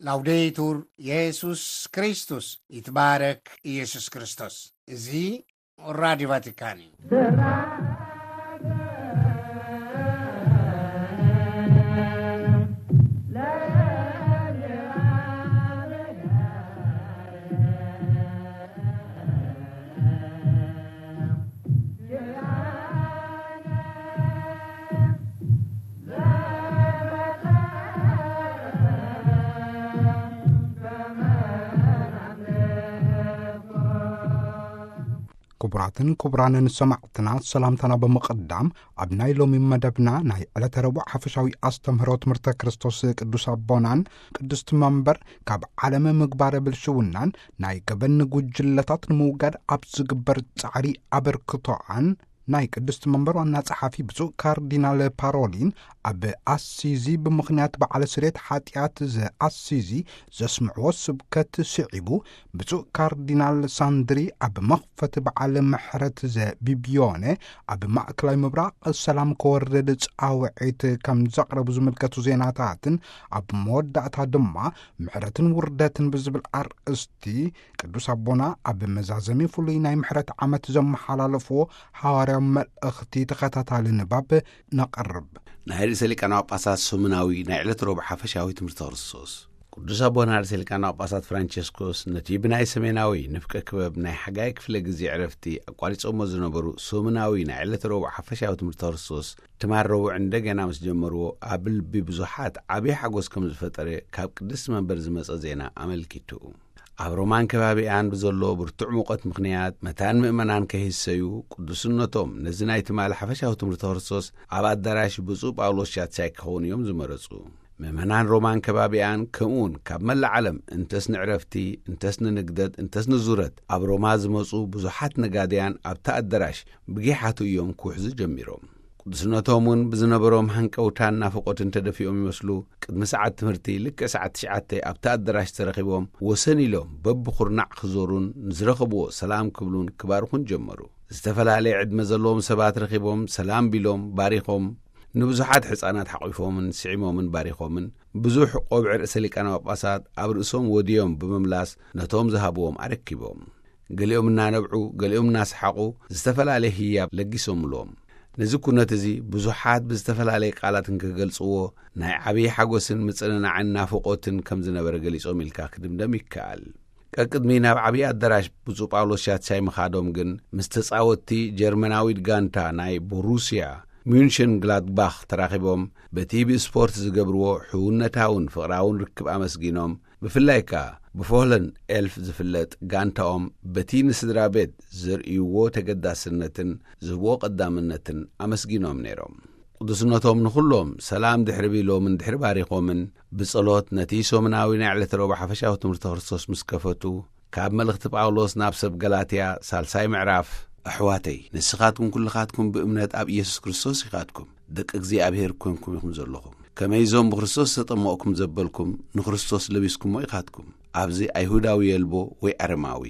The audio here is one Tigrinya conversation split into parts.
ላውዴቱር የሱስ ክርስቶስ፣ ይትባረክ ኢየሱስ ክርስቶስ። እዚ ራዲዮ ቫቲካን እዩ። ክቡራትን ክቡራንን ሰማዕትና፣ ሰላምታና ብምቕዳም፣ ኣብ ናይ ሎሚ መደብና ናይ ዕለተ ረቡዕ ሓፈሻዊ ኣስተምህሮ ትምህርተ ክርስቶስ ቅዱስ ኣቦናን ቅድስቲ መንበር ካብ ዓለመ ምግባረ ብልሽውናን ናይ ገበን ጉጅለታት ንምውጋድ ኣብ ዝግበር ጻዕሪ ኣበርክቶኣን ናይ ቅድስቲ መንበር ዋና ጸሓፊ ብፁዕ ካርዲናል ፓሮሊን ኣብ ኣሲዚ ብምኽንያት በዓለ ስሬት ሓጢኣት ዘኣሲዚ ዘስምዕዎ ስብከት ስዒቡ፣ ብፁዕ ካርዲናል ሳንድሪ ኣብ መኽፈቲ በዓል ምሕረት ዘቢቢዮነ ኣብ ማእከላይ ምብራቕ ሰላም ክወርድ ጻውዒት ከም ዘቕረቡ ዝምልከቱ ዜናታትን ኣብ መወዳእታ ድማ ምሕረትን ውርደትን ብዝብል ኣርእስቲ ቅዱስ ኣቦና ኣብ መዛዘሚ ፍሉይ ናይ ምሕረት ዓመት ዘመሓላለፍዎ ሓዋርያዊ መልእኽቲ ተኸታታሊ ንባብ ነቕርብ። ናይ ርእሰ ሊቃነ ጳጳሳት ሰሙናዊ ናይ ዕለት ረቡዕ ሓፈሻዊ ትምህርቲ ክርስቶስ። ቅዱስ ኣቦና ርእሰ ሊቃነ ጳጳሳት ፍራንቸስኮስ ነቲ ብናይ ሰሜናዊ ንፍቀ ክበብ ናይ ሓጋይ ክፍለ ግዜ ዕረፍቲ ኣቋሪጾሞ ዝነበሩ ሰሙናዊ ናይ ዕለት ረቡዕ ሓፈሻዊ ትምህርቲ ክርስቶስ ትማል ረቡዕ እንደገና ምስ ጀመርዎ ኣብ ልቢ ብዙሓት ዓብዪ ሓጎስ ከም ዝፈጠረ ካብ ቅድስቲ መንበር ዝመጸ ዜና ኣመልኪቱ። ኣብ ሮማን ከባቢኣን ብዘሎ ብርቱዕ ሙቐት ምኽንያት መታን ምእመናን ከይህሰዩ ቅዱስነቶም ነዚ ናይ ትማሊ ሓፈሻዊ ትምህርቲ ክርስቶስ ኣብ ኣዳራሽ ብፁዕ ጳውሎስ ሻትሳይ ክኸውን እዮም ዝመረጹ። ምእመናን ሮማን ከባቢኣን ከምኡውን ካብ መላእ ዓለም እንተስ ንዕረፍቲ እንተስ ንንግደት እንተስ ንዙረት ኣብ ሮማ ዝመጹ ብዙሓት ነጋድያን ኣብቲ ኣዳራሽ ብጊሓቱ እዮም ክውሕዙ ጀሚሮም። ቅዱስነቶም እውን ብዝነበሮም ሃንቀውታን ናፍቖትን ተደፊኦም ይመስሉ። ቅድሚ ሰዓት ትምህርቲ ልክዕ ሰዓት ትሽዓተ ኣብቲ ኣዳራሽ ተረኺቦም ወሰን ኢሎም በብኹርናዕ ክዞሩን ንዝረኸብዎ ሰላም ክብሉን ክባርኹን ጀመሩ። ዝተፈላለየ ዕድመ ዘለዎም ሰባት ረኺቦም ሰላም ቢሎም ባሪኾም፣ ንብዙሓት ሕፃናት ሓቒፎምን ስዒሞምን ባሪኾምን፣ ብዙሕ ቆብዕ ርእሰ ሊቃነ ጳጳሳት ኣብ ርእሶም ወድዮም ብምምላስ ነቶም ዝሃብዎም ኣረኪቦም። ገሊኦም እናነብዑ ገሊኦም እናሰሓቑ ዝተፈላለየ ህያብ ለጊሶምሎም። ነዚ ኩነት እዚ ብዙሓት ብዝተፈላለየ ቃላት እንክገልጽዎ ናይ ዓብዪ ሓጎስን ምጽንናዕን ናፍቖትን ከም ዝነበረ ገሊጾም ኢልካ ክድምደም ይከኣል። ቀቅድሚ ናብ ዓብዪ ኣዳራሽ ብፁዕ ጳውሎስ ሻትሳይ ምኻዶም ግን ምስ ተጻወትቲ ጀርመናዊት ጋንታ ናይ ቦሩስያ ሚንሽን ግላድባኽ ተራኺቦም በቲ ብስፖርት ዝገብርዎ ሕውነታውን ፍቕራውን ርክብ ኣመስጊኖም፣ ብፍላይ ከኣ ብፎለን ኤልፍ ዝፍለጥ ጋንታኦም በቲ ንስድራ ቤት ዘርእይዎ ተገዳስነትን ዝህብዎ ቀዳምነትን ኣመስጊኖም ነይሮም። ቅዱስነቶም ንኹሎም ሰላም ድሕሪ ቢሎምን ድሕሪ ባሪኾምን ብጸሎት ነቲ ሰሙናዊ ናይ ዕለተ ረቡዕ ሓፈሻዊ ትምህርቲ ክርስቶስ ምስ ከፈቱ፣ ካብ መልእኽቲ ጳውሎስ ናብ ሰብ ገላትያ ሳልሳይ ምዕራፍ፣ ኣሕዋተይ ንስኻትኩም ኩልኻትኩም ብእምነት ኣብ ኢየሱስ ክርስቶስ ኢኻትኩም ደቂ እግዚኣብሔር ኮንኩም ኢኹም ዘለኹም። ከመይ እዞም ብክርስቶስ ዝተጠመቕኩም ዘበልኩም ንክርስቶስ ለቢስኩሞ ኢኻትኩም። ኣብዚ ኣይሁዳዊ የልቦ ወይ ኣረማዊ፣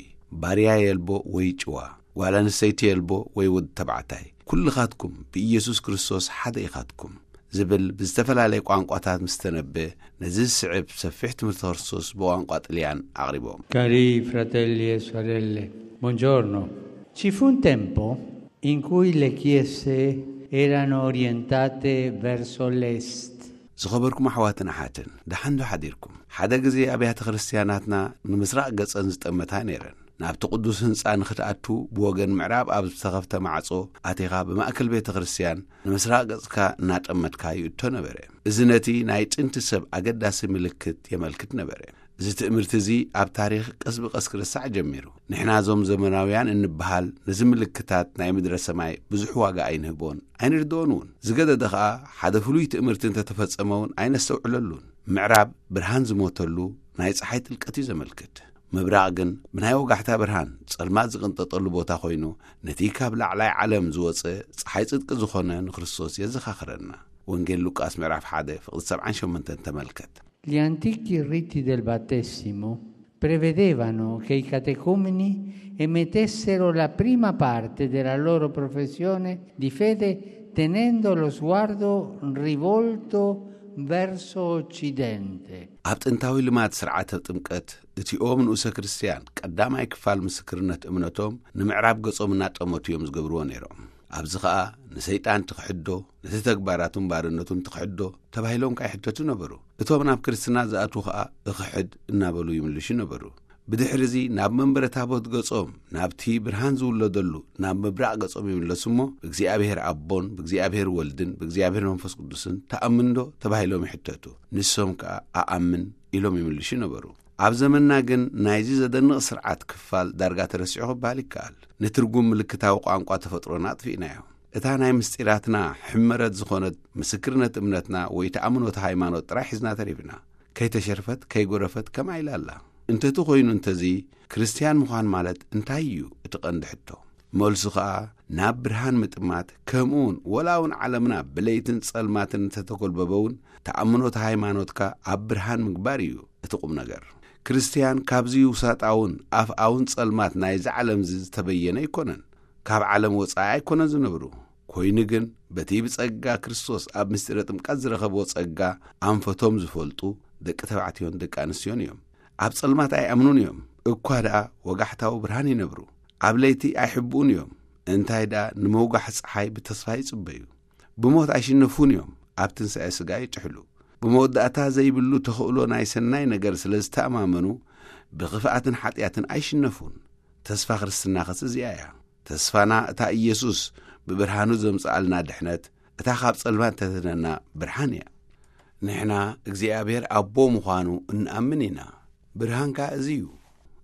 ባርያ የልቦ ወይ ጭዋ፣ ጓል ኣንስተይቲ የልቦ ወይ ወዲ ተባዕታይ፣ ኩልኻትኩም ብኢየሱስ ክርስቶስ ሓደ ኢኻትኩም ዝብል ብዝተፈላለየ ቋንቋታት ምስ ተነበ፣ ነዚ ዝስዕብ ሰፊሕ ትምህርቲ ክርስቶስ ብቋንቋ ጥልያን ኣቕሪቦም። Cari fratelli e sorelle, buongiorno. Ci fu un tempo in cui le chiese erano orientate verso l'est. ዝኸበርኩም ኣሕዋትን ኣሓትን፣ ደሓን ዶ ሓዲርኩም? ሓደ ግዜ ኣብያተ ክርስትያናትና ንምስራቕ ገጸን ዝጠመታ ነይረን። ናብቲ ቅዱስ ህንጻ ንኽትኣቱ ብወገን ምዕራብ ኣብ ዝተኸፍተ ማዕጾ ኣቲኻ ብማእከል ቤተ ክርስትያን ንምስራቕ ገጽካ እናጠመትካ ይእቶ ነበረ። እዚ ነቲ ናይ ጥንቲ ሰብ ኣገዳሲ ምልክት የመልክት ነበረ። እዚ ትእምርቲ እዚ ኣብ ታሪኽ ቀስ ብቐስ ክርሳዕ ጀሚሩ። ንሕና እዞም ዘመናውያን እንበሃል ነዚ ምልክታት ናይ ምድረ ሰማይ ብዙሕ ዋጋ ኣይንህቦን ኣይንርድኦን እውን። ዝገደደ ኸኣ ሓደ ፍሉይ ትእምርቲ እንተተፈጸመ እውን ኣይነስተውዕለሉን። ምዕራብ ብርሃን ዝሞተሉ ናይ ጸሓይ ጥልቀት እዩ ዘመልክት። ምብራቕ ግን ብናይ ወጋሕታ ብርሃን ጸልማት ዝቕንጠጠሉ ቦታ ኮይኑ፣ ነቲ ካብ ላዕላይ ዓለም ዝወጸ ጸሓይ ጽድቂ ዝኾነ ንክርስቶስ የዘኻኽረና። ወንጌል ሉቃስ ምዕራፍ ሓደ ፍቕዲ ሰብዓን ሸሞንተን ተመልከት። Gli antichi riti del battesimo prevedevano che i catecumeni emettessero la prima parte della loro professione di fede tenendo lo sguardo rivolto verso occidente. ኣብ ጥንታዊ ልማድ ስርዓተ ጥምቀት፣ እቲኦም ንኡሰ ክርስትያን ቀዳማይ ክፋል ምስክርነት እምነቶም ንምዕራብ ገጾም እናጠመቱ እዮም ዝገብርዎ ነይሮም። ኣብዚ ኸኣ ንሰይጣን ትኽሕዶ፣ ነቲ ተግባራቱን ባርነቱን ትኽሕዶ ተባሂሎም ከኣ ይሕተቱ ነበሩ። እቶም ናብ ክርስትና ዝኣትዉ ኸኣ እኽሕድ እናበሉ ይምልሹ ነበሩ። ብድሕርዚ ናብ መንበረ ታቦት ገጾም፣ ናብቲ ብርሃን ዝውለደሉ ናብ ምብራቕ ገጾም ይምለሱ እሞ፣ ብእግዚኣብሔር ኣቦን ብእግዚኣብሔር ወልድን ብእግዚኣብሔር መንፈስ ቅዱስን ትኣምን ዶ ተባሂሎም ይሕተቱ። ንሶም ከኣ ኣኣምን ኢሎም ይምልሹ ነበሩ። ኣብ ዘመንና ግን ናይዚ ዘደንቕ ስርዓት ክፋል ዳርጋ ተረሲዑ ክበሃል ይከኣል። ንትርጉም ምልክታዊ ቋንቋ ተፈጥሮና ኣጥፊእናዮ። እታ ናይ ምስጢራትና ሕመረት ዝኾነት ምስክርነት እምነትና ወይ ተኣምኖት ሃይማኖት ጥራይ ሒዝና ተሪፍና። ከይተሸርፈት ከይጎረፈት ከምኣ ኢላ ኣላ። እንተቲ ኮይኑ እንተዚ፣ ክርስትያን ምዃን ማለት እንታይ እዩ እቲ ቀንዲ ሕቶ? መልሱ ኸኣ ናብ ብርሃን ምጥማት፣ ከምኡውን ወላ እውን ዓለምና ብለይትን ጸልማትን እንተተጎልበበ እውን፣ ተኣምኖት ሃይማኖትካ ኣብ ብርሃን ምግባር እዩ እቲ ቁም ነገር። ክርስትያን ካብዚ ውሳጣውን ኣፍኣውን ጸልማት ናይዚ ዓለም እዚ ዝተበየነ ኣይኮነን። ካብ ዓለም ወጻኢ ኣይኮነን ዝነብሩ። ኮይኑ ግን በቲ ብጸጋ ክርስቶስ ኣብ ምስጢረ ጥምቀት ዝረኸብዎ ጸጋ ኣንፈቶም ዝፈልጡ ደቂ ተባዕትዮን ደቂ ኣንስትዮን እዮም። ኣብ ጸልማት ኣይኣምኑን እዮም። እኳ ደኣ ወጋሕታዊ ብርሃን ይነብሩ። ኣብ ለይቲ ኣይሕብኡን እዮም። እንታይ ደኣ ንመውጋሕ ጸሓይ ብተስፋ ይጽበዩ። ብሞት ኣይሽነፉን እዮም። ኣብ ትንሳኤ ስጋ ይጥሕሉ። ብመወዳእታ ዘይብሉ ተኽእሎ ናይ ሰናይ ነገር ስለ ዝተኣማመኑ ብኽፍኣትን ሓጢኣትን ኣይሽነፉን። ተስፋ ክርስትና ኸስ እዚኣ እያ። ተስፋና እታ ኢየሱስ ብብርሃኑ ዘምጽኣልና ድሕነት፣ እታ ካብ ጸልማት ተድሕነና ብርሃን እያ። ንሕና እግዚኣብሔር ኣቦ ምዃኑ እንኣምን ኢና። ብርሃን ከኣ እዚ እዩ።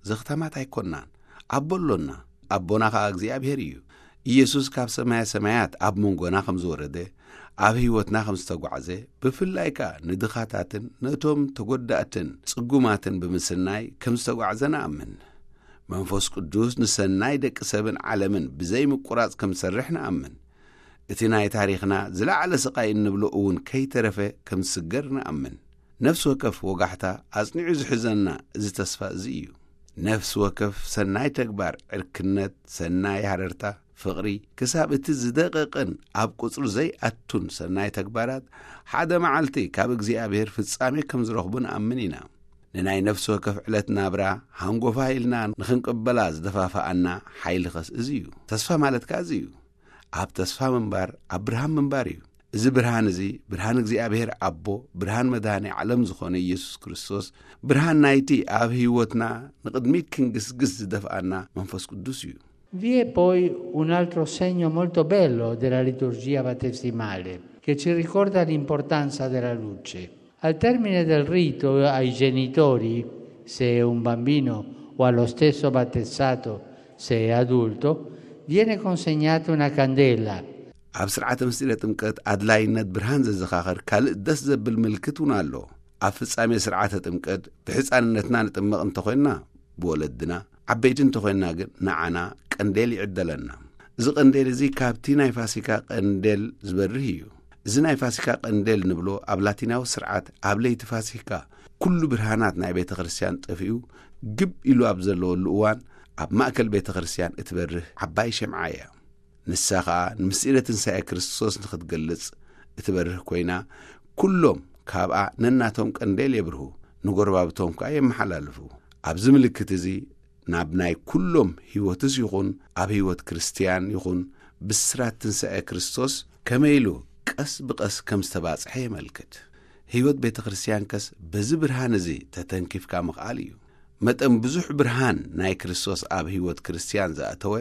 ዘኽታማት ኣይኮንናን። ኣቦ ኣሎና። ኣቦና ከኣ እግዚኣብሔር እዩ። ኢየሱስ ካብ ሰማየ ሰማያት ኣብ መንጎና ከም ዝወረደ፣ ኣብ ህይወትና ከም ዝተጓዕዘ፣ ብፍላይ ከኣ ንድኻታትን ነቶም ተጎዳእትን ጽጉማትን ብምስናይ ከም ዝተጓዕዘ ንኣምን። መንፈስ ቅዱስ ንሰናይ ደቂ ሰብን ዓለምን ብዘይ ምቁራጽ ከም ዝሰርሕ ንኣምን። እቲ ናይ ታሪኽና ዝለዓለ ስቓይ እንብሎ እውን ከይተረፈ ከም ዝስገር ንኣምን። ነፍሲ ወከፍ ወጋሕታ ኣጽኒዑ ዝሕዘና እዚ ተስፋ እዚ እዩ። ነፍሲ ወከፍ ሰናይ ተግባር፣ ዕርክነት፣ ሰናይ ሃረርታ፣ ፍቕሪ፣ ክሳብ እቲ ዝደቐቕን ኣብ ቁጽሪ ዘይኣቱን ሰናይ ተግባራት ሓደ መዓልቲ ካብ እግዚኣብሔር ፍጻሜ ከም ዝረኽቡ ንኣምን ኢና። ንናይ ነፍሲ ወከፍ ዕለት ናብራ ሃንጎፋ ኢልና ንኽንቅበላ ዝደፋፍኣና ሓይሊ ኸስ እዚ እዩ። ተስፋ ማለት ከኣ እዚ እዩ። ኣብ ተስፋ ምንባር ኣብ ብርሃን ምንባር እዩ። እዚ ብርሃን እዚ ብርሃን እግዚኣብሔር ኣቦ፣ ብርሃን መድኃኔ ዓለም ዝኾነ ኢየሱስ ክርስቶስ፣ ብርሃን ናይቲ ኣብ ህይወትና ንቕድሚት ክንግስግስ ዝደፍኣና መንፈስ ቅዱስ እዩ። Vi è poi un altro segno molto bello della liturgia battesimale che ci ricorda l'importanza della luce. Al termine del rito ai genitori, se è un bambino o allo stesso battezzato, se è adulto, viene consegnata una candela. ኣብ ስርዓተ ምስጢረ ጥምቀት ኣድላይነት ብርሃን ዘዘኻኸር ካልእ ደስ ዘብል ምልክት እውን ኣሎ። ኣብ ፍጻሜ ስርዓተ ጥምቀት ብሕፃንነትና ንጥመቕ እንተኾይንና ብወለድና፣ ዓበይቲ እንተኾይንና ግን ንዓና ቀንዴል ይዕደለና። እዚ ቀንዴል እዚ ካብቲ ናይ ፋሲካ ቀንዴል ዝበርህ እዩ። እዚ ናይ ፋሲካ ቀንዴል ንብሎ ኣብ ላቲናዊ ስርዓት ኣብ ለይቲ ፋሲካ ኩሉ ብርሃናት ናይ ቤተ ክርስቲያን ጠፊኡ ግብ ኢሉ ኣብ ዘለወሉ እዋን ኣብ ማእከል ቤተ ክርስቲያን እትበርህ ዓባይ ሸምዓ እያ። ንሳ ኸኣ ንምስጢረ ትንሳኤ ክርስቶስ ንኽትገልጽ እትበርህ ኮይና፣ ኩሎም ካብኣ ነናቶም ቀንዴል የብርሁ፣ ንጎረባብቶም ከኣ የመሓላልፉ። ኣብዚ ምልክት እዚ ናብ ናይ ኩሎም ህይወትስ ይኹን ኣብ ህይወት ክርስትያን ይኹን ብስራት ትንሳኤ ክርስቶስ ከመይ ኢሉ ቀስ ብቐስ ከም ዝተባጽሐ የመልክት። ህይወት ቤተ ክርስቲያን ከስ በዚ ብርሃን እዚ ተተንኪፍካ ምኽኣል እዩ። መጠን ብዙሕ ብርሃን ናይ ክርስቶስ ኣብ ህይወት ክርስትያን ዝኣተወ፣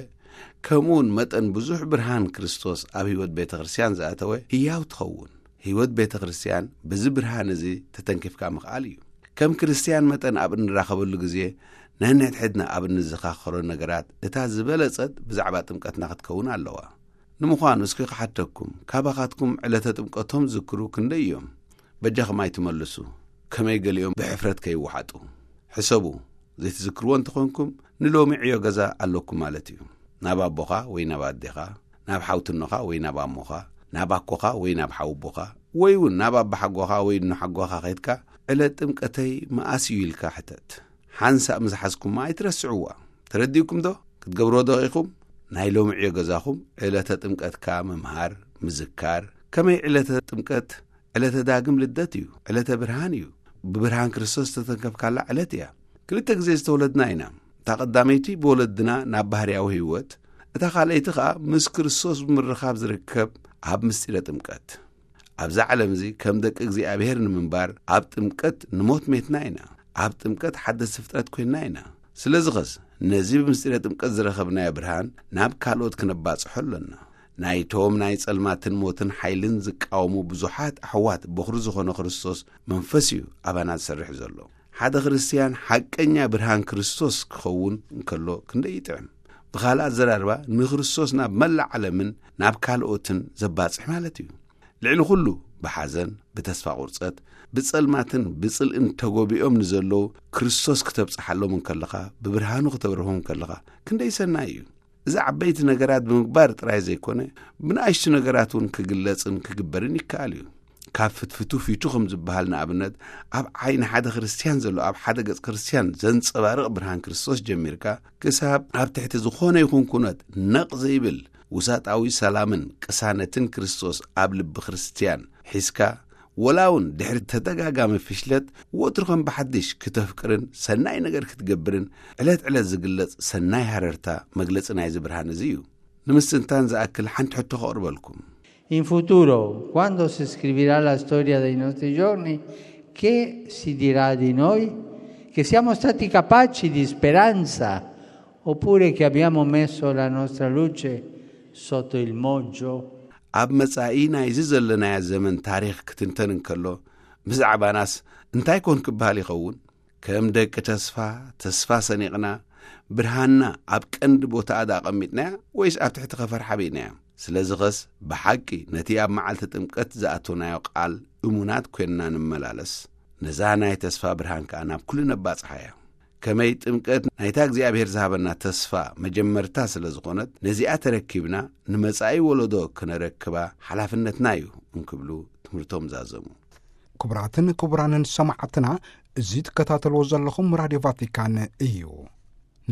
ከምኡውን መጠን ብዙሕ ብርሃን ክርስቶስ ኣብ ህይወት ቤተ ክርስትያን ዝኣተወ ህያው ትኸውን። ህይወት ቤተ ክርስትያን በዚ ብርሃን እዚ ተተንኪፍካ ምኽኣል እዩ። ከም ክርስትያን መጠን ኣብ እንራኸበሉ ግዜ ነንሕድሕድና ኣብ እንዘኻኸሮ ነገራት እታ ዝበለጸት ብዛዕባ ጥምቀትና ክትከውን ኣለዋ። ንምዃኑ እስኪ ክሓተኩም፣ ካባኻትኩም ዕለተ ጥምቀቶም ዝክሩ ክንደይ እዮም? በጃኹም ኣይትመልሱ፣ ከመይ ገሊኦም ብሕፍረት ከይወሓጡ። ሕሰቡ፣ ዘይትዝክርዎ እንተኾንኩም ንሎሚ ዕዮ ገዛ ኣለኩም ማለት እዩ። ናብ ኣቦኻ ወይ ናብ ኣዴኻ፣ ናብ ሓውትኖኻ ወይ ናብ ኣሞኻ፣ ናብ ኣኮኻ ወይ ናብ ሓውቦኻ፣ ወይ እውን ናብ ኣባሓጎኻ ወይ ንሓጎኻ ኸይድካ ዕለት ጥምቀተይ መኣስ እዩ ኢልካ ሕተት። ሓንሳእ ምዝሓዝኩማ ኣይትረስዕዋ። ተረዲእኩም ዶ? ክትገብርዎ ዶ ኢኹም? ናይ ሎሚ ዕዮ ገዛኹም ዕለተ ጥምቀትካ ምምሃር፣ ምዝካር፣ ከመይ ዕለተ ጥምቀት ዕለተ ዳግም ልደት እዩ። ዕለተ ብርሃን እዩ። ብብርሃን ክርስቶስ ዝተተንከፍካላ ዕለት እያ። ክልተ ግዜ ዝተወለድና ኢና። እታ ቀዳመይቲ ብወለድና ናብ ባህርያዊ ህይወት፣ እታ ካልኣይቲ ኸኣ ምስ ክርስቶስ ብምርኻብ ዝርከብ ኣብ ምስጢረ ጥምቀት። ኣብዛ ዓለም እዚ ከም ደቂ እግዚኣብሔር ንምንባር ኣብ ጥምቀት ንሞት ሜትና ኢና። ኣብ ጥምቀት ሓደስቲ ፍጥረት ኮይንና ኢና። ስለዚ ኸስ ነዚ ብምስጢረ ጥምቀት ዝረኸብናዮ ብርሃን ናብ ካልኦት ክነባጽሖ ኣሎና። ናይቶም ናይ ጸልማትን ሞትን ሓይልን ዝቃወሙ ብዙሓት ኣሕዋት በኹሪ ዝኾነ ክርስቶስ መንፈስ እዩ ኣባና ዝሰርሕ ዘሎ። ሓደ ክርስትያን ሓቀኛ ብርሃን ክርስቶስ ክኸውን እንከሎ ክንደይ ይጥዕም። ብኻልእ ኣዘራርባ ንክርስቶስ ናብ መላእ ዓለምን ናብ ካልኦትን ዘባጽሕ ማለት እዩ። ልዕሊ ኩሉ ብሓዘን፣ ብተስፋ ቁርጸት፣ ብጸልማትን ብጽልእን ተጎቢኦም ንዘለዉ ክርስቶስ ክተብጽሓሎም እንከለኻ፣ ብብርሃኑ ክተብርሆም እንከለኻ ክንደይ ሰናይ እዩ። እዚ ዓበይቲ ነገራት ብምግባር ጥራይ ዘይኮነ፣ ብንኣሽቱ ነገራት እውን ክግለጽን ክግበርን ይከኣል እዩ። ካብ ፍትፍቱ ፊቱ ከም ዝበሃል ንኣብነት፣ ኣብ ዓይኒ ሓደ ክርስትያን ዘሎ ኣብ ሓደ ገጽ ክርስትያን ዘንጸባርቕ ብርሃን ክርስቶስ ጀሚርካ፣ ክሳብ ኣብ ትሕቲ ዝኾነ ይኹን ኩነት ነቕ ዘይብል ውሳጣዊ ሰላምን ቅሳነትን ክርስቶስ ኣብ ልቢ ክርስትያን ሒዝካ፣ ወላ እውን ድሕሪ ተደጋጋሚ ፍሽለት ወትሩ ከም ብሓድሽ ክተፍቅርን ሰናይ ነገር ክትገብርን ዕለት ዕለት ዝግለጽ ሰናይ ሃረርታ መግለጺ ናይዚ ብርሃን እዚ እዩ። ንምስትንታን ዝኣክል ሓንቲ ሕቶ ከቕርበልኩም። In futuro, quando si scriverà la storia dei nostri giorni, che si dirà di noi? Che siamo stati capaci di speranza oppure che abbiamo messo la nostra luce sotto il moggio? ኣብ መጻኢ ናይዚ ዘለናዮ ዘመን ታሪኽ ክትንተን እንከሎ፣ ብዛዕባናስ እንታይ ኮን ክበሃል ይኸውን? ከም ደቂ ተስፋ፣ ተስፋ ሰኒቕና፣ ብርሃንና ኣብ ቀንዲ ቦታኣ ደኣ ኣቐሚጥናያ ወይስ ኣብ ትሕቲ ኸፈር ሓቢእናያ? ስለዚ ኸስ ብሓቂ ነቲ ኣብ መዓልቲ ጥምቀት ዝኣቶናዮ ቃል እሙናት ኮይንና ንመላለስ፣ ነዛ ናይ ተስፋ ብርሃን ከኣ ናብ ኩሉ ነባጽሓያ። ከመይ ጥምቀት ናይታ እግዚኣብሔር ዝሃበና ተስፋ መጀመርታ ስለ ዝኾነት፣ ነዚኣ ተረኪብና ንመጻኢ ወለዶ ክነረክባ ሓላፍነትና እዩ እንክብሉ ትምህርቶም ዛዘሙ። ክቡራትን ክቡራንን ሰማዕትና፣ እዚ ትከታተልዎ ዘለኹም ራድዮ ቫቲካን እዩ።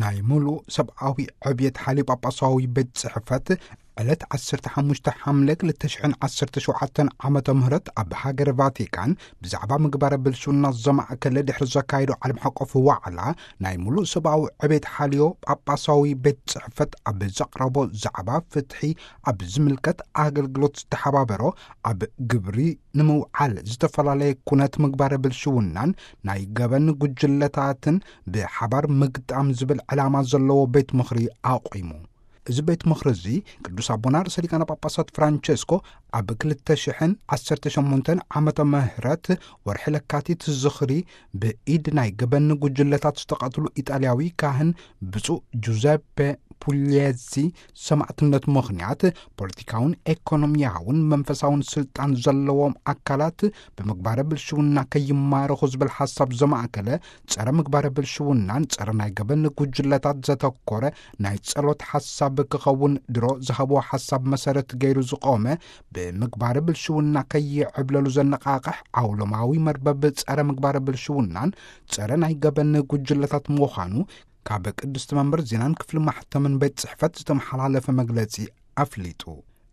ናይ ሙሉእ ሰብኣዊ ዕብየት ሓልዮ ጳጳሳዊ ቤት ጽሕፈት ዕለት ዓሰርተ ሓሙሽተ ሓምለ ክልተ ሽሕን ዓሰርተ ሸውዓተን ዓመተ ምህረት ኣብ ሃገር ቫቲካን ብዛዕባ ምግባረ ብልሽውና ዘማእከለ ድሕሪ ዘካየዶ ዓለም ሓቆፍ ዋዕላ፣ ናይ ሙሉእ ሰብኣዊ ዕብየት ሓልዮ ጳጳሳዊ ቤት ጽሕፈት ኣብ ዘቕረቦ ዛዕባ ፍትሒ ኣብ ዝምልከት ኣገልግሎት ዝተሓባበሮ ኣብ ግብሪ ንምውዓል ዝተፈላለየ ኩነት ምግባረ ብልሽውናን ናይ ገበን ጉጅለታትን ብሓባር ምግጣም ዝብል ዕላማ ዘለዎ ቤት ምኽሪ ኣቑሙ። እዚ ቤት ምኽሪ እዚ ቅዱስ ኣቦና ርእሰ ሊቃነ ጳጳሳት ፍራንቸስኮ ኣብ ክልተ ሽሕን ዓሰርተ ሸሞንተን ዓመተ ምህረት ወርሒ ለካቲት ዝኽሪ ብኢድ ናይ ገበን ጉጅለታት ዝተቐትሉ ኢጣልያዊ ካህን ብፁዕ ጁዘፔ ፑልየዚ ሰማዕትነት ምኽንያት ፖለቲካውን ኤኮኖሚያውን መንፈሳውን ስልጣን ዘለዎም ኣካላት ብምግባረ ብልሽውና ከይማረኹ ዝብል ሓሳብ ዘማእከለ ጸረ ምግባረ ብልሽውናን ጸረ ናይ ገበን ጉጅለታት ዘተኮረ ናይ ጸሎት ሓሳብ ክኸውን ድሮ ዝሃብዎ ሓሳብ መሰረት ገይሩ ዝቆመ፣ ብምግባረ ብልሽውና ከይዕብለሉ ዘነቓቕሕ ዓውሎማዊ መርበብ ጸረ ምግባረ ብልሽውናን ጸረ ናይ ገበን ጉጅለታት ምዃኑ ካብ ቅድስቲ መንበር ዜናን ክፍሊ ማሕተምን ቤት ጽሕፈት ዝተመሓላለፈ መግለጺ ኣፍሊጡ።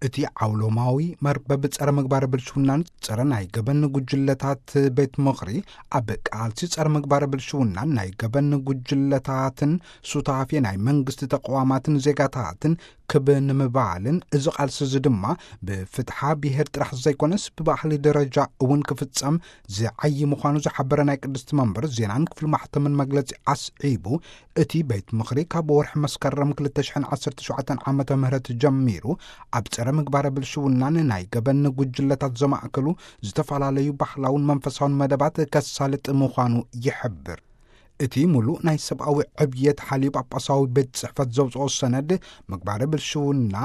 እቲ ዓውሎማዊ መርበብ ጸረ ምግባረ ብልሽውናን ጸረ ናይ ገበን ጉጅለታት ቤት ምኽሪ ኣብ ቃልሲ ጸረ ምግባረ ብልሽውናን ናይ ገበን ጉጅለታትን ሱታፌ ናይ መንግስቲ ተቋማትን ዜጋታትን ክብ ንምባልን፣ እዚ ቃልሲ እዚ ድማ ብፍትሓ ብሄር ጥራሕ ዘይኮነስ ብባህሊ ደረጃ እውን ክፍጸም ዝዓዪ ምዃኑ ዝሓበረ ናይ ቅድስቲ መንበር ዜናን ክፍሊ ማሕተምን መግለጺ ኣስዒቡ፣ እቲ ቤት ምኽሪ ካብ ወርሒ መስከረም ክልተ ሽሕን ዓሰርተ ሸውዓተን ዓመተ ምህረት ጀሚሩ ኣብ ጸረ ምግባረ ብልሽውናን ናይ ገበን ጉጅለታት ዘማእከሉ ዝተፈላለዩ ባህላውን መንፈሳውን መደባት ከሳልጥ ምዃኑ ይሕብር። እቲ ሙሉእ ናይ ሰብኣዊ ዕብየት ሓልዩ ጳጳሳዊ ቤት ጽሕፈት ዘውጽኦ ሰነድ ምግባረ ብልሽውና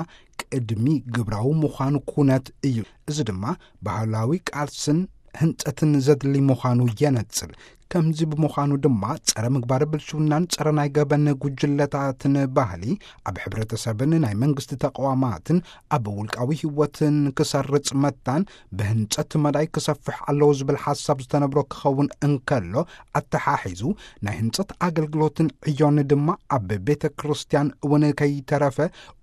ቅድሚ ግብራዊ ምዃኑ ኩነት እዩ። እዚ ድማ ባህላዊ ቃልስን ህንጸትን ዘድሊ ምዃኑ የነጽር። ከምዚ ብምዃኑ ድማ ጸረ ምግባር ብልሽውናን ጸረ ናይ ገበን ጉጅለታትን ባህሊ ኣብ ሕብረተሰብን ናይ መንግስቲ ተቃዋማትን ኣብ ውልቃዊ ህይወትን ክሰርጽ መታን ብህንጸት መዳይ ክሰፍሕ ኣለዎ ዝብል ሓሳብ ዝተነብሮ ክኸውን እንከሎ፣ ኣተሓሒዙ ናይ ህንጸት ኣገልግሎትን ዕዮን ድማ ኣብ ቤተ ክርስቲያን እውን ከይተረፈ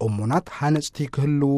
እሙናት ሃነጽቲ ክህልዉ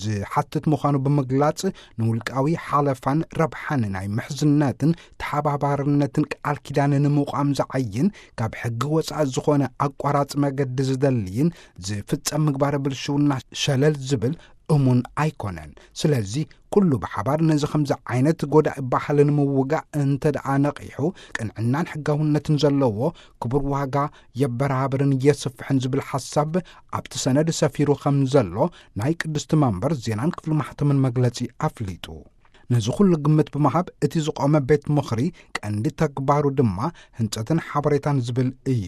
ዝሓትት ምዃኑ ብምግላጽ፣ ንውልቃዊ ሓለፋን ረብሓን ናይ ምሕዝነትን ተሓባባርነትን ቃል ኪዳን ንምቋም ዝዓይን፣ ካብ ሕጊ ወጻኢ ዝኾነ ኣቋራጽ መገዲ ዝደልይን ዝፍጸም ምግባረ ብልሽውና ሸለል ዝብል እሙን ኣይኮነን። ስለዚ ኩሉ ብሓባር ነዚ ከምዚ ዓይነት ጎዳኢ ባህሊ ንምውጋእ እንተ ደኣ ነቒሑ፣ ቅንዕናን ሕጋውነትን ዘለዎ ክቡር ዋጋ የበራብርን የስፍሕን ዝብል ሓሳብ ኣብቲ ሰነድ ሰፊሩ ከም ዘሎ ናይ ቅድስቲ መንበር ዜናን ክፍሊ ማሕተምን መግለጺ ኣፍሊጡ። ነዚ ኩሉ ግምት ብምሃብ እቲ ዝቖመ ቤት ምኽሪ ቀንዲ ተግባሩ ድማ ህንጸትን ሓበሬታን ዝብል እዩ።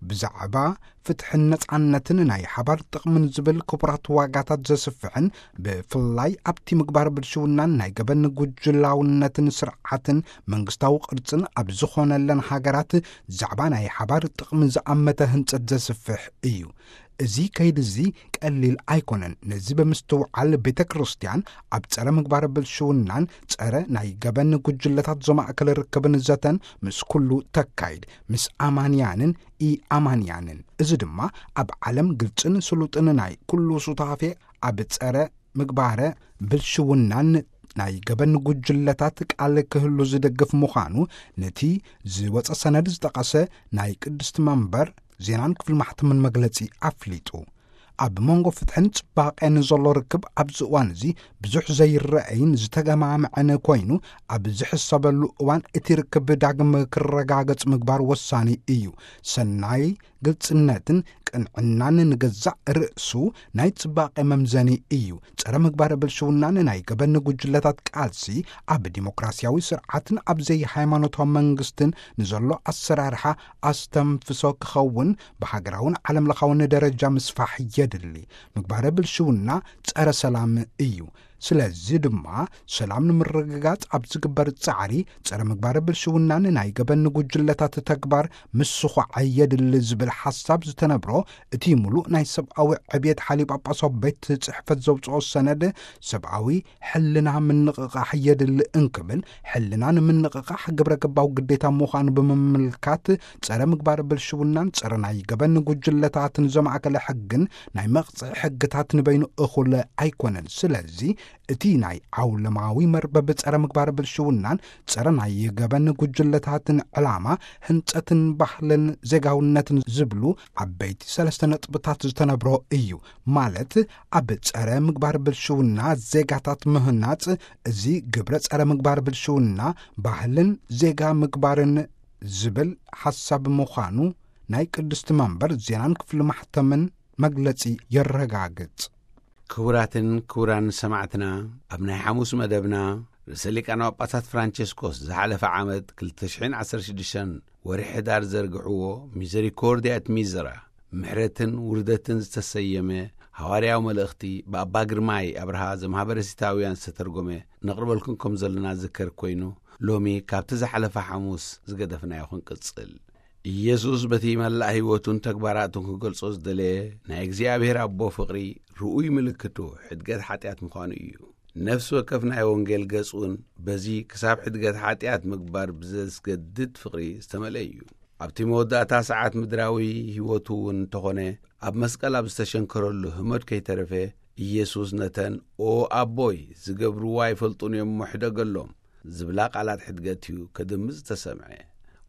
ብዛዕባ ፍትሕን ነጻነትን ናይ ሓባር ጥቕምን ዝብል ክቡራት ዋጋታት ዘስፍሕን ብፍላይ ኣብቲ ምግባር ብልሽውናን ናይ ገበን ጉጅላውነትን ስርዓትን መንግስታዊ ቅርጽን ኣብ ዝኾነለን ሃገራት ዛዕባ ናይ ሓባር ጥቕሚ ዝኣመተ ህንጸት ዘስፍሕ እዩ። እዚ ከይዲ እዚ ቀሊል ኣይኮነን። ነዚ ብምስትውዓል ቤተ ክርስቲያን ኣብ ጸረ ምግባር ብልሽውናን ጸረ ናይ ገበን ጉጅለታት ዘማእከለ ርክብን ዘተን ምስ ኩሉ ተካይድ፣ ምስ ኣማንያንን ኢ ኣማንያንን። እዚ ድማ ኣብ ዓለም ግልጽን ስሉጥን ናይ ኩሉ ሱታፌ ኣብ ጸረ ምግባረ ብልሽውናን ናይ ገበን ጉጅለታት ቃል ክህሉ ዝደግፍ ምዃኑ ነቲ ዝወጸ ሰነድ ዝጠቐሰ ናይ ቅድስቲ መንበር ዜናን ክፍሊ ማሕተምን መግለጺ ኣፍሊጡ። ኣብ መንጎ ፍትሕን ጽባቐን ዘሎ ርክብ ኣብዚ እዋን እዚ ብዙሕ ዘይረኣይን ዝተገማምዐን ኮይኑ፣ ኣብ ዝሕሰበሉ እዋን እቲ ርክብ ዳግም ክረጋገጽ ምግባር ወሳኒ እዩ። ሰናይ ግልጽነትን ቅንዕናን ንገዛእ ርእሱ ናይ ጽባቐ መምዘኒ እዩ። ጸረ ምግባር ብልሽውናን ናይ ገበን ጉጅለታት ቃልሲ ኣብ ዲሞክራሲያዊ ስርዓትን ኣብ ዘይሃይማኖታዊ መንግስትን ንዘሎ ኣሰራርሓ ኣስተንፍሶ ክኸውን ብሃገራውን ዓለምለኻውን ደረጃ ምስፋሕ የድሊ። ምግባረ ብልሽውና ጸረ ሰላም እዩ። ስለዚ ድማ ሰላም ንምርግጋጽ ኣብ ዝግበር ጻዕሪ ጸረ ምግባረ ብልሽውናን ናይ ገበን ጉጅለታት ተግባር ምስዃዕ የድሊ ዝብል ሓሳብ ዝተነብሮ እቲ ምሉእ ናይ ሰብኣዊ ዕብየት ሓሊ ጳጳሳዊ ቤት ጽሕፈት ዘውጽኦ ሰነድ ሰብኣዊ ሕልና ምንቕቓሕ የድሊ እንክብል፣ ሕልና ንምንቕቓሕ ግብረ ገባዊ ግዴታ ምዃኑ ብምምልካት፣ ጸረ ምግባር ብልሽውናን ጸረ ናይ ገበን ጉጅለታትን ዘማእከለ ሕግን ናይ መቕጽዒ ሕግታት ንበይኑ እኹል ኣይኮነን። ስለዚ እቲ ናይ ዓውለማዊ መርበብ ጸረ ምግባር ብልሽውናን ጸረ ናይ ገበን ጉጅለታትን ዕላማ ህንጸትን ባህልን ዜጋውነትን ዝብሉ ዓበይቲ ሰለስተ ነጥብታት ዝተነብሮ እዩ። ማለት ኣብ ጸረ ምግባር ብልሽውና ዜጋታት ምህናጽ፣ እዚ ግብረ ጸረ ምግባር ብልሽውና ባህልን ዜጋ ምግባርን ዝብል ሓሳብ ምዃኑ ናይ ቅድስቲ መንበር ዜናን ክፍሊ ማሕተምን መግለጺ የረጋግጽ። ክቡራትን ክቡራን ሰማዕትና፣ ኣብ ናይ ሓሙስ መደብና ርእሰ ሊቃነ ጳጳሳት ፍራንቸስኮስ ዝሓለፈ ዓመት ክልተ ሽሕን ዓሰርተ ሽዱሽተን ወርሒ ሕዳር ዘርግሕዎ ሚዘሪኮርድያ ኤት ሚዘራ፣ ምሕረትን ውርደትን ዝተሰየመ ሃዋርያዊ መልእኽቲ ብኣባ ግርማይ ኣብርሃ ዘማህበረ ሲታውያን ዝተተርጎመ ነቕርበልኩም ከም ዘለና ዝከር ኮይኑ፣ ሎሚ ካብቲ ዝሓለፈ ሓሙስ ዝገደፍናዮ ክንቅጽል። ኢየሱስ በቲ መላእ ህይወቱን ተግባራቱን ክገልጾ ዝደለየ ናይ እግዚኣብሔር ኣቦ ፍቕሪ ርኡይ ምልክቱ ሕድገት ሓጢኣት ምዃኑ እዩ። ነፍሲ ወከፍ ናይ ወንጌል ገጽ እውን በዚ ክሳብ ሕድገት ሓጢኣት ምግባር ብዘስገድድ ፍቕሪ ዝተመልአ እዩ። ኣብቲ መወዳእታ ሰዓት ምድራዊ ህይወቱ እውን እንተኾነ፣ ኣብ መስቀል ኣብ ዝተሸንከረሉ ህሞት ከይተረፈ፣ ኢየሱስ ነተን "ኦ ኣቦይ፣ ዝገብርዎ ኣይፈልጡን እዮም እሞ ሕደገሎም" ዝብላ ቃላት ሕድገት እዩ ከድምጽ ዝተሰምዐ።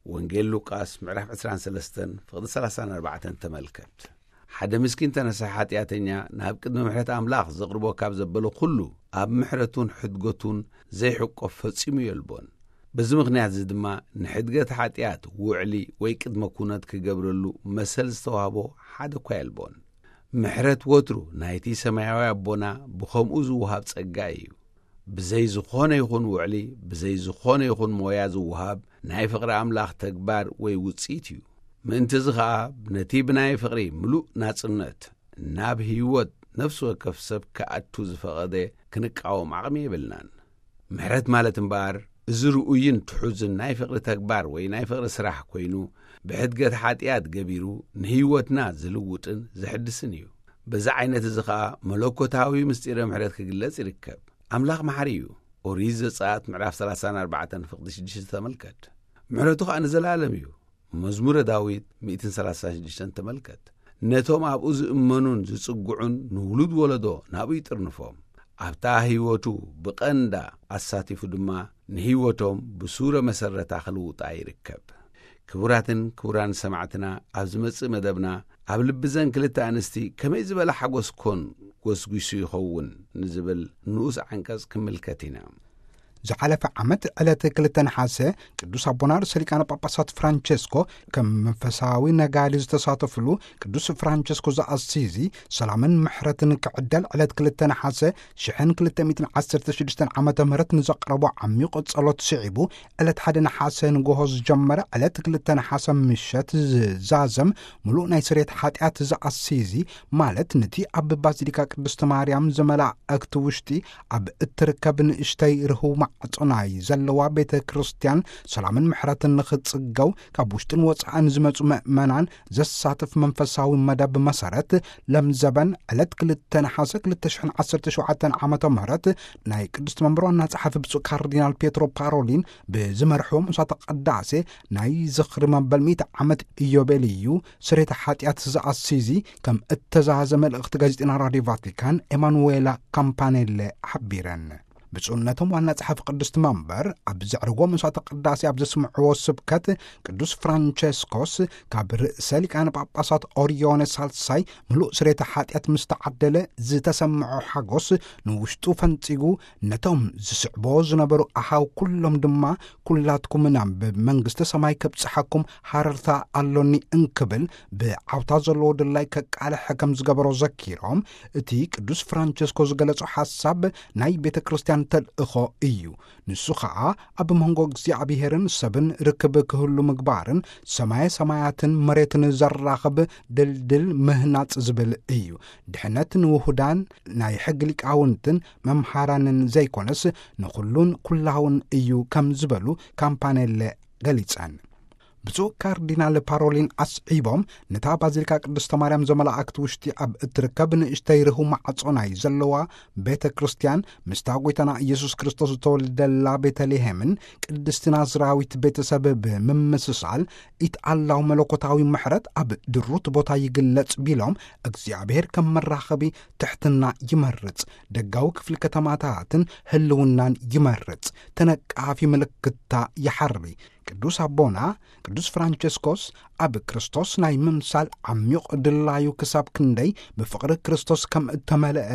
ወንጌል ሉቃስ ምዕራፍ ዕስራን ሰለስተን ፍቕዲ ሰላሳን ኣርባዕተን ተመልከት። ሓደ ምስኪን ተነሳሒ ሓጢኣተኛ ናብ ቅድሚ ምሕረት ኣምላኽ ዘቕርቦ ካብ ዘበለ ኩሉ ኣብ ምሕረቱን ሕድገቱን ዘይሕቆፍ ፈጺሙ የልቦን። በዚ ምኽንያት እዚ ድማ ንሕድገት ሓጢኣት ውዕሊ ወይ ቅድመ ኩነት ክገብረሉ መሰል ዝተዋህቦ ሓደ እኳ የልቦን። ምሕረት ወትሩ ናይቲ ሰማያዊ ኣቦና ብኸምኡ ዝወሃብ ጸጋ እዩ። ብዘይ ዝኾነ ይኹን ውዕሊ፣ ብዘይ ዝኾነ ይኹን ሞያ ዝወሃብ ናይ ፍቕሪ ኣምላኽ ተግባር ወይ ውጽኢት እዩ። ምእንቲ እዚ ኸኣ ነቲ ብናይ ፍቕሪ ምሉእ ናጽነት ናብ ህይወት ነፍሲ ወከፍ ሰብ ክኣቱ ዝፈቐደ ክንቃወም ዓቕሚ የብልናን። ምሕረት ማለት እምበኣር እዚ ርኡይን ትሑዝን ናይ ፍቕሪ ተግባር ወይ ናይ ፍቕሪ ስራሕ ኮይኑ፣ ብሕድገት ሓጢኣት ገቢሩ ንህይወትና ዝልውጥን ዝሕድስን እዩ። በዚ ዓይነት እዚ ኸኣ መለኮታዊ ምስጢረ ምሕረት ክግለጽ ይርከብ። ኣምላኽ መሓሪ እዩ። ኦሪት ዘጸኣት ምዕራፍ ሰላሳን ኣርባዕተን ፍቕዲ ሽዱሽተ ተመልከት። ምሕረቱ ኸኣ ንዘለኣለም እዩ። መዝሙረ ዳዊት ሚእትን ሰላሳን ሽዱሽተን ተመልከት። ነቶም ኣብኡ ዝእመኑን ዝጽግዑን ንውሉድ ወለዶ ናብኡ ይጥርንፎም። ኣብታ ህይወቱ ብቐንዳ ኣሳቲፉ ድማ ንህይወቶም ብሱረ መሰረታ ክልውጣ ይርከብ። ክቡራትን ክቡራን ሰማዕትና፣ ኣብ ዝመጽእ መደብና ኣብ ልቢ ዘን ክልተ ኣንስቲ ከመይ ዝበለ ሓጎስ ኮን ጎስጒሱ ይኸውን ንዝብል ንኡስ ዓንቀጽ ክምልከት ኢና። ዝሓለፈ ዓመት ዕለት ክልተ ነሓሰ ቅዱስ ኣቦና ርእሰ ሊቃነ ጳጳሳት ፍራንቸስኮ ከም መንፈሳዊ ነጋዲ ዝተሳተፍሉ ቅዱስ ፍራንቸስኮ ዘኣሲዚ ሰላምን ምሕረትን ክዕደል ዕለት ክልተ ነሓሰ ሽሕን ክልተ ሚእትን ዓሰርተ ሽዱሽተን ዓመተ ምህረት ንዘቕረቦ ዓሚቕ ጸሎት ስዒቡ ዕለት ሓደ ነሓሰ ንግሆ ዝጀመረ ዕለት ክልተ ነሓሰ ምሸት ዝዛዘም ምሉእ ናይ ስርየት ሓጢኣት ዘኣሲዚ ማለት ነቲ ኣብ ባዚሊካ ቅድስቲ ማርያም ዘመላእክቲ ውሽጢ ኣብ እትርከብ ንእሽተይ ርህው ማዕጾ ናይ ዘለዋ ቤተ ክርስቲያን ሰላምን ምሕረትን ንኽጽገው ካብ ውሽጥን ወጻእን ዝመጹ ምእመናን ዘሳትፍ መንፈሳዊ መደብ መሰረት ለምዘበን ዕለት ክልተ ነሓሰ ክልተ ሽሕን ዓሰርተ ሸውዓተን ዓመተ ምህረት ናይ ቅድስቲ መንበር ዋና ጸሓፊ ብፁዕ ካርዲናል ፔትሮ ፓሮሊን ብዝመርሕዎም ምሳተ ቅዳሴ ናይ ዝኽሪ መበል ሚእቲ ዓመት ኢዮቤልዩ ስሬተ ሓጢኣት ዝኣሲዚ ከም እተዛዘ መልእኽቲ ጋዜጠና ራድዮ ቫቲካን ኤማኑዌላ ካምፓኔለ ሓቢረን። ብፁዕነቶም ዋና ጸሓፊ ቅድስቲ መንበር ኣብ ዘዕርጎ መስዋዕተ ቅዳሴ ኣብ ዘስምዕዎ ስብከት ቅዱስ ፍራንቸስኮስ ካብ ርእሰ ሊቃነ ጳጳሳት ኦሪዮነ ሳልሳይ ምሉእ ስሬተ ሓጢኣት ምስ ተዓደለ ዝተሰምዖ ሓጎስ ንውሽጡ ፈንጺጉ ነቶም ዝስዕቦ ዝነበሩ ኣሃው ኩሎም ድማ ኩላትኩም ናብ መንግስተ ሰማይ ከብጽሓኩም ሃረርታ ኣሎኒ እንክብል ብዓውታ ዘለዎ ድላይ ከቃልሐ ከም ዝገበሮ ዘኪሮም እቲ ቅዱስ ፍራንቸስኮ ዝገለጾ ሓሳብ ናይ ቤተ ክርስቲያን ተልእኾ እዩ። ንሱ ኸኣ ኣብ መንጎ እግዚኣብሔርን ሰብን ርክብ ክህሉ ምግባርን ሰማየ ሰማያትን መሬትን ዘራኽብ ድልድል ምህናጽ ዝብል እዩ። ድሕነት ንውሁዳን ናይ ሕጊ ሊቃውንትን መምሃራንን ዘይኮነስ ንኹሉን ኩላውን እዩ ከም ዝበሉ ካምፓኔለ ገሊጸን። ብፁዕ ካርዲናል ፓሮሊን ኣስዒቦም ነታ ባዚሊካ ቅድስተ ማርያም ዘመላእክት ውሽጢ ኣብ እትርከብ ንእሽተይ ርህው ማዕጾ ናይ ዘለዋ ቤተ ክርስቲያን ምስታ ጐይታና ኢየሱስ ክርስቶስ ዝተወልደላ ቤተልሔምን ቅድስቲ ናዝራዊት ቤተሰብ ብምምስሳል ኢትኣላው መለኮታዊ ምሕረት ኣብ ድሩት ቦታ ይግለጽ ቢሎም እግዚኣብሔር ከም መራኸቢ ትሕትና ይመርጽ፣ ደጋዊ ክፍሊ ከተማታትን ህልውናን ይመርጽ፣ ተነቃፊ ምልክታ ይሓርቢ። ቅዱስ ኣቦና ቅዱስ ፍራንቸስኮስ ኣብ ክርስቶስ ናይ ምምሳል ዓሚቕ ድላዩ ክሳብ ክንደይ ብፍቕሪ ክርስቶስ ከም እተመልአ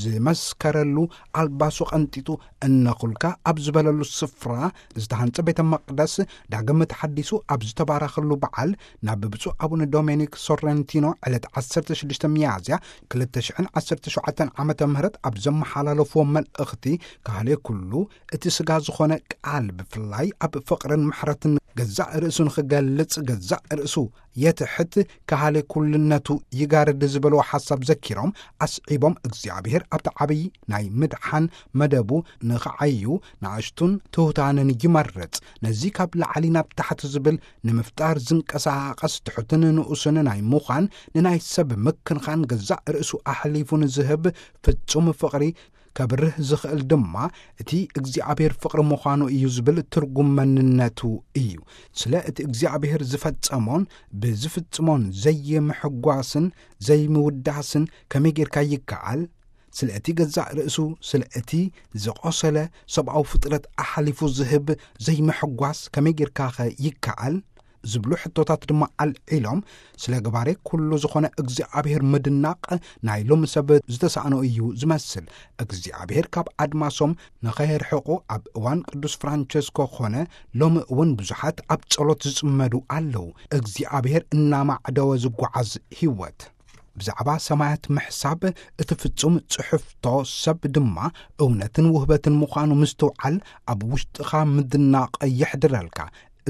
ዝመስከረሉ ኣልባሱ ቐንጢጡ እነኹልካ ኣብ ዝበለሉ ስፍራ ዝተሃንጸ ቤተ መቕደስ ዳግም ተሓዲሱ ኣብ ዝተባረኸሉ በዓል ናብ ብፁዕ ኣቡነ ዶሜኒክ ሶረንቲኖ ዕለት ዓሰርተ ሽዱሽተ ሚያዝያ ክልተ ሽሕን ዓሰርተ ሸውዓተን ዓመተ ምህረት ኣብ ዘመሓላለፍዎ መልእኽቲ ካህሌ ኩሉ እቲ ስጋ ዝኾነ ቃል ብፍላይ ኣብ ፍቕርን ምሕረትን ገዛእ ርእሱ ንኽገልጽ ገዛእ ርእሱ የትሕት ካህሌ ኩልነቱ ይጋርድ ዝበልዎ ሓሳብ ዘኪሮም ኣስዒቦም እግዚኣብሔር ኣብቲ ዓብዪ ናይ ምድሓን መደቡ ንኽዓዩ ንኣሽቱን ትሑታንን ይመርጽ። ነዚ ካብ ላዕሊ ናብ ታሕቲ ዝብል ንምፍጣር ዝንቀሳቐስ ትሑትን ንኡስን ናይ ምዃን ንናይ ሰብ ምክንኻን ገዛእ ርእሱ ኣሕሊፉ ንዝህብ ፍጹም ፍቕሪ ከብርህ ዝኽእል ድማ እቲ እግዚኣብሔር ፍቕሪ ምዃኑ እዩ ዝብል ትርጉም መንነቱ እዩ። ስለ እቲ እግዚኣብሔር ዝፈጸሞን ብዝፍጽሞን ዘይምሕጓስን ዘይምውዳስን ከመይ ጌርካ ይከኣል? ስለ እቲ ገዛእ ርእሱ፣ ስለ እቲ ዝቖሰለ ሰብኣዊ ፍጥረት ኣሓሊፉ ዝህብ ዘይምሕጓስ ከመይ ጌርካኸ ይከኣል? ዝብሉ ሕቶታት ድማ ኣልዒሎም፣ ስለ ገባሬ ኩሉ ዝኾነ እግዚኣብሔር ምድናቕ ናይ ሎሚ ሰብ ዝተሳእኖ እዩ ዝመስል። እግዚኣብሔር ካብ ኣድማሶም ንኸየርሕቑ ኣብ እዋን ቅዱስ ፍራንቸስኮ ኾነ ሎሚ እውን ብዙሓት ኣብ ጸሎት ዝጽመዱ ኣለዉ። እግዚኣብሔር እናማዕደወ ዝጓዓዝ ህይወት። ብዛዕባ ሰማያት ምሕሳብ እቲ ፍጹም ጽሑፍቶ ሰብ ድማ እውነትን ውህበትን ምዃኑ ምስትውዓል ኣብ ውሽጥኻ ምድናቕ የሕድረልካ።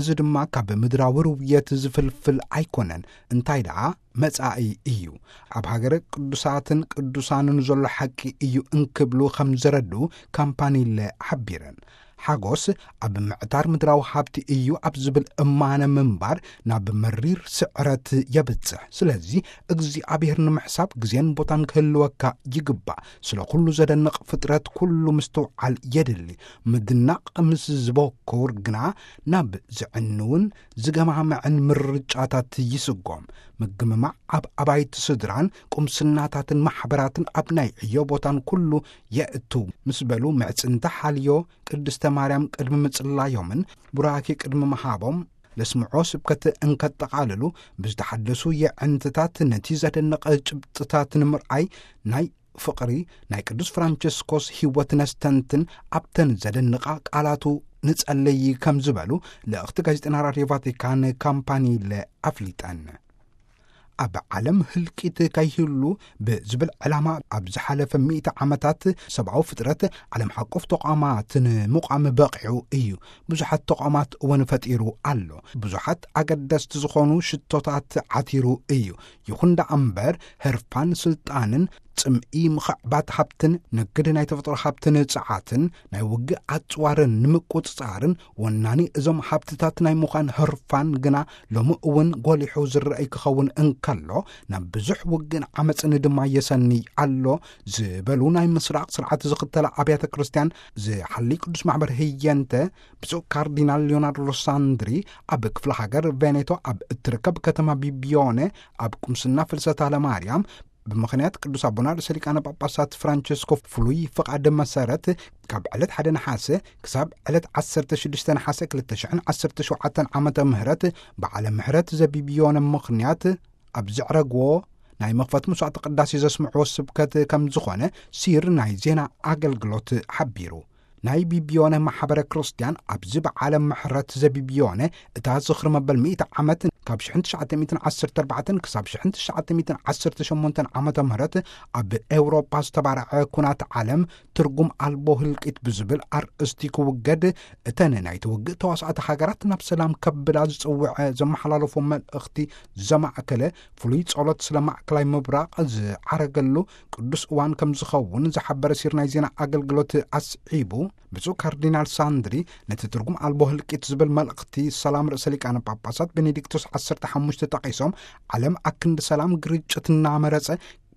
እዚ ድማ ካብ ምድራዊ ርውየት ዝፍልፍል ኣይኮነን፣ እንታይ ደኣ መጻኢ እዩ። ኣብ ሃገረ ቅዱሳትን ቅዱሳንን ዘሎ ሓቂ እዩ እንክብሉ ከም ዘረድኡ ካምፓኒለ ሓቢረን። ሓጎስ ኣብ ምዕታር ምድራዊ ሃብቲ እዩ ኣብ ዝብል እማነ ምንባር ናብ መሪር ስዕረት የብጽሕ። ስለዚ እግዚኣብሔር ንምሕሳብ ግዜን ቦታን ክህልወካ ይግባእ። ስለ ኩሉ ዘደንቕ ፍጥረት ኩሉ ምስትውዓል የድሊ። ምድናቕ ምስ ዝበኩር ግና ናብ ዝዕንውን ዝገማምዕን ምርጫታት ይስጎም። ምግምማዕ ኣብ ኣባይቲ ስድራን ቁምስናታትን ማሕበራትን ኣብ ናይ ዕዮ ቦታን ኩሉ የእቱ ምስ በሉ ምዕጽንተ ሓልዮ ቅድስተ ማርያም ቅድሚ ምጽላዮምን ቡራኬ ቅድሚ ምሃቦም ለስምዖ ስብከት እንከጠቓልሉ ብዝተሓደሱ የዕንትታት ነቲ ዘደንቕ ጭብጥታት ንምርኣይ ናይ ፍቕሪ ናይ ቅዱስ ፍራንቸስኮስ ህይወት ነስተንትን ኣብተን ዘደንቓ ቃላቱ ንጸለይ ከም ዝበሉ ልእኽቲ ጋዜጠና ራድዮ ቫቲካን ካምፓኒለ ኣፍሊጠን። ኣብ ዓለም ህልቂት ከይህሉ ብዝብል ዕላማ ኣብ ዝሓለፈ ሚእቲ ዓመታት ሰብኣዊ ፍጥረት ዓለም ሓቆፍ ተቋማት ንምቋም በቂዑ እዩ። ብዙሓት ተቋማት እውን ፈጢሩ ኣሎ። ብዙሓት ኣገደስቲ ዝኾኑ ሽቶታት ዓቲሩ እዩ። ይኹን ደኣ እምበር ህርፋን ስልጣንን ጽምኢ ምኽዕባት ሃብትን ንግድ ናይ ተፈጥሮ ሃብትን ጽዓትን ናይ ውግእ ኣጽዋርን ንምቁጽጻርን ወናኒ እዞም ሃብትታት ናይ ምዃን ህርፋን ግና ሎሚ እውን ጎሊሑ ዝረኣይ ክኸውን እንከሎ ናብ ብዙሕ ውግእን ዓመፅን ድማ የሰኒ ኣሎ ዝበሉ ናይ ምስራቕ ስርዓት ዝኽተላ ኣብያተ ክርስቲያን ዝሓሊ ቅዱስ ማሕበር ህየንተ ብፁዕ ካርዲናል ሊዮናርዶ ሳንድሪ ኣብ ክፍለ ሃገር ቬኔቶ ኣብ እትርከብ ከተማ ቢቢዮነ ኣብ ቁምስና ፍልሰታ ለማርያም ብምኽንያት ቅዱስ ኣቦና ርእሰ ሊቃነ ጳጳሳት ፍራንቸስኮ ፍሉይ ፍቓድ መሰረት ካብ ዕለት ሓደ ነሓሰ ክሳብ ዕለት ዓሰርተ ሽዱሽተ ነሓሰ ክልተ ሽሕን ዓሰርተ ሸውዓተን ዓመተ ምህረት በዓለ ምሕረት ዘቢብዮነ ምኽንያት ኣብ ዘዕረግዎ ናይ መኽፈት መስዋዕተ ቅዳሴ ዘስምዕዎ ስብከት ከም ዝኾነ ሲር ናይ ዜና ኣገልግሎት ሓቢሩ። ናይ ቢቢዮነ ማሕበረ ክርስቲያን ኣብዚ በዓለ ምሕረት ዘቢብዮነ እታ ዝኽሪ መበል ሚእቲ ዓመት ካብ ሽሕን ትሽዓተ ሚእትን ዓሰርተ ኣርባዕተን ክሳብ ሽሕን ትሽዓተ ሚእትን ዓሰርተ ሸሞንተን ዓመተ ምህረት ኣብ ኤውሮጳ ዝተባርዐ ኩናት ዓለም ትርጉም ኣልቦ ህልቂት ብዝብል ኣርእስቲ ክውገድ እተን ናይቲ ውግእ ተዋሳእቲ ሃገራት ናብ ሰላም ከብላ ዝጽውዐ ዘመሓላለፎ መልእኽቲ ዘማእከለ ፍሉይ ጸሎት ስለ ማእከላይ ምብራቕ ዝዓረገሉ ቅዱስ እዋን ከም ዝኸውን ዝሓበረ ሲር ናይ ዜና ኣገልግሎት ኣስዒቡ፣ ብፁዕ ካርዲናል ሳንድሪ ነቲ ትርጉም ኣልቦ ህልቂት ዝብል መልእኽቲ ሰላም ርእሰ ሊቃነ ጳጳሳት ቤኔዲክቶስ ዓሰርተ ሓሙሽተ ጠቒሶም፣ ዓለም ኣክንዲ ሰላም ግርጭት እናመረጸ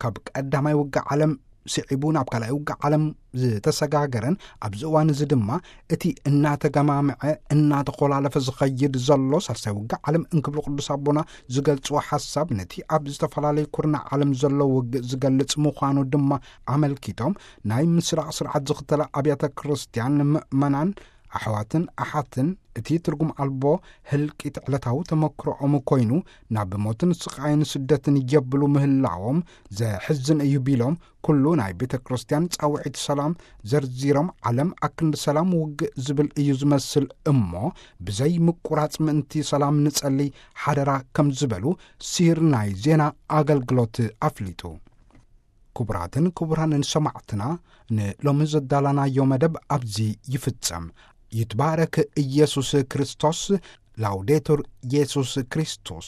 ካብ ቀዳማይ ውግእ ዓለም ስዒቡ ናብ ካልኣይ ውግእ ዓለም ዝተሰጋገረን ኣብዚ እዋን እዚ ድማ እቲ እናተገማምዐ እናተኾላለፈ ዝኸይድ ዘሎ ሳልሳይ ውግእ ዓለም እንክብሉ ቅዱስ ኣቦና ዝገልጽዎ ሓሳብ ነቲ ኣብ ዝተፈላለዩ ኩርናዕ ዓለም ዘሎ ውግእ ዝገልጽ ምዃኑ ድማ ኣመልኪቶም ናይ ምስራቕ ስርዓት ዝኽተላ ኣብያተ ክርስቲያን ምእመናን ኣሕዋትን ኣሓትን እቲ ትርጉም ኣልቦ ህልቂት ዕለታዊ ተመክሮኦም ኮይኑ ናብ ሞትን ስቓይን ስደትን የብሉ ምህላዎም ዘሕዝን እዩ ቢሎም ኩሉ ናይ ቤተ ክርስቲያን ጻውዒት ሰላም ዘርዚሮም ዓለም ኣክንዲ ሰላም ውግእ ዝብል እዩ ዝመስል እሞ ብዘይ ምቁራጽ ምእንቲ ሰላም ንጸሊ ሓደራ ከም ዝበሉ ሲር ናይ ዜና ኣገልግሎት ኣፍሊጡ። ክቡራትን ክቡራንን ሰማዕትና ንሎሚ ዘዳላናዮ መደብ ኣብዚ ይፍጸም። ይትባረክ ኢየሱስ ክርስቶስ። ላውዴቱር ኢየሱስ ክርስቶስ።